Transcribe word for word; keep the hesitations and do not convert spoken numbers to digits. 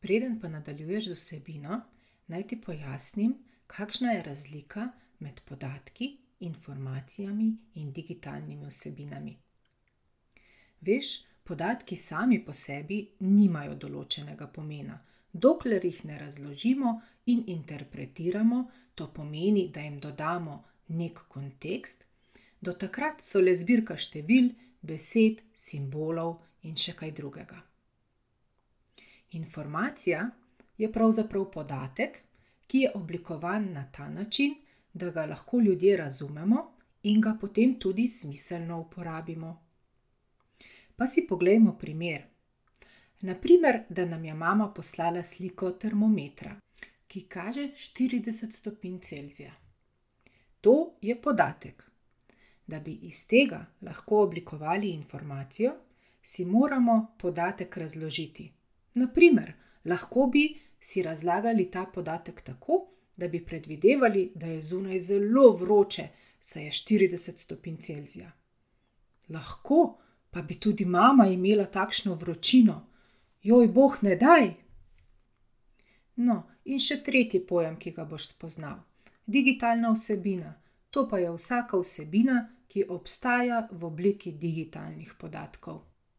Preden pa nadaljuješ z vsebino, naj ti pojasnim, kakšna je razlika med podatki, informacijami in digitalnimi vsebinami. Veš, podatki sami po sebi nimajo določenega pomena. Dokler jih ne razložimo in interpretiramo, to pomeni, da jim dodamo nek kontekst, do takrat so le zbirka števil, besed, simbolov in še kaj drugega. Informacija je pravzaprav podatek, ki je oblikovan na ta način, da ga lahko ljudje razumemo in ga potem tudi smiselno uporabimo. Pa si poglejmo primer. Na primer, da nam je mama poslala sliko termometra, ki kaže štirideset stopinj Celzija. To je podatek. Da bi iz tega lahko oblikovali informacijo, si moramo podatek razložiti. Na primer, lahko bi si razlagali ta podatek tako, da bi predvidevali, da je zunaj zelo vroče, saj je štirideset stopinj Celzija. Lahko pa bi tudi mama imela takšno vročino. Joj, bog ne daj! No, in še tretji pojem, ki ga boš spoznal. Digitalna vsebina. To pa je vsaka vsebina, ki obstaja v obliki digitalnih podatkov.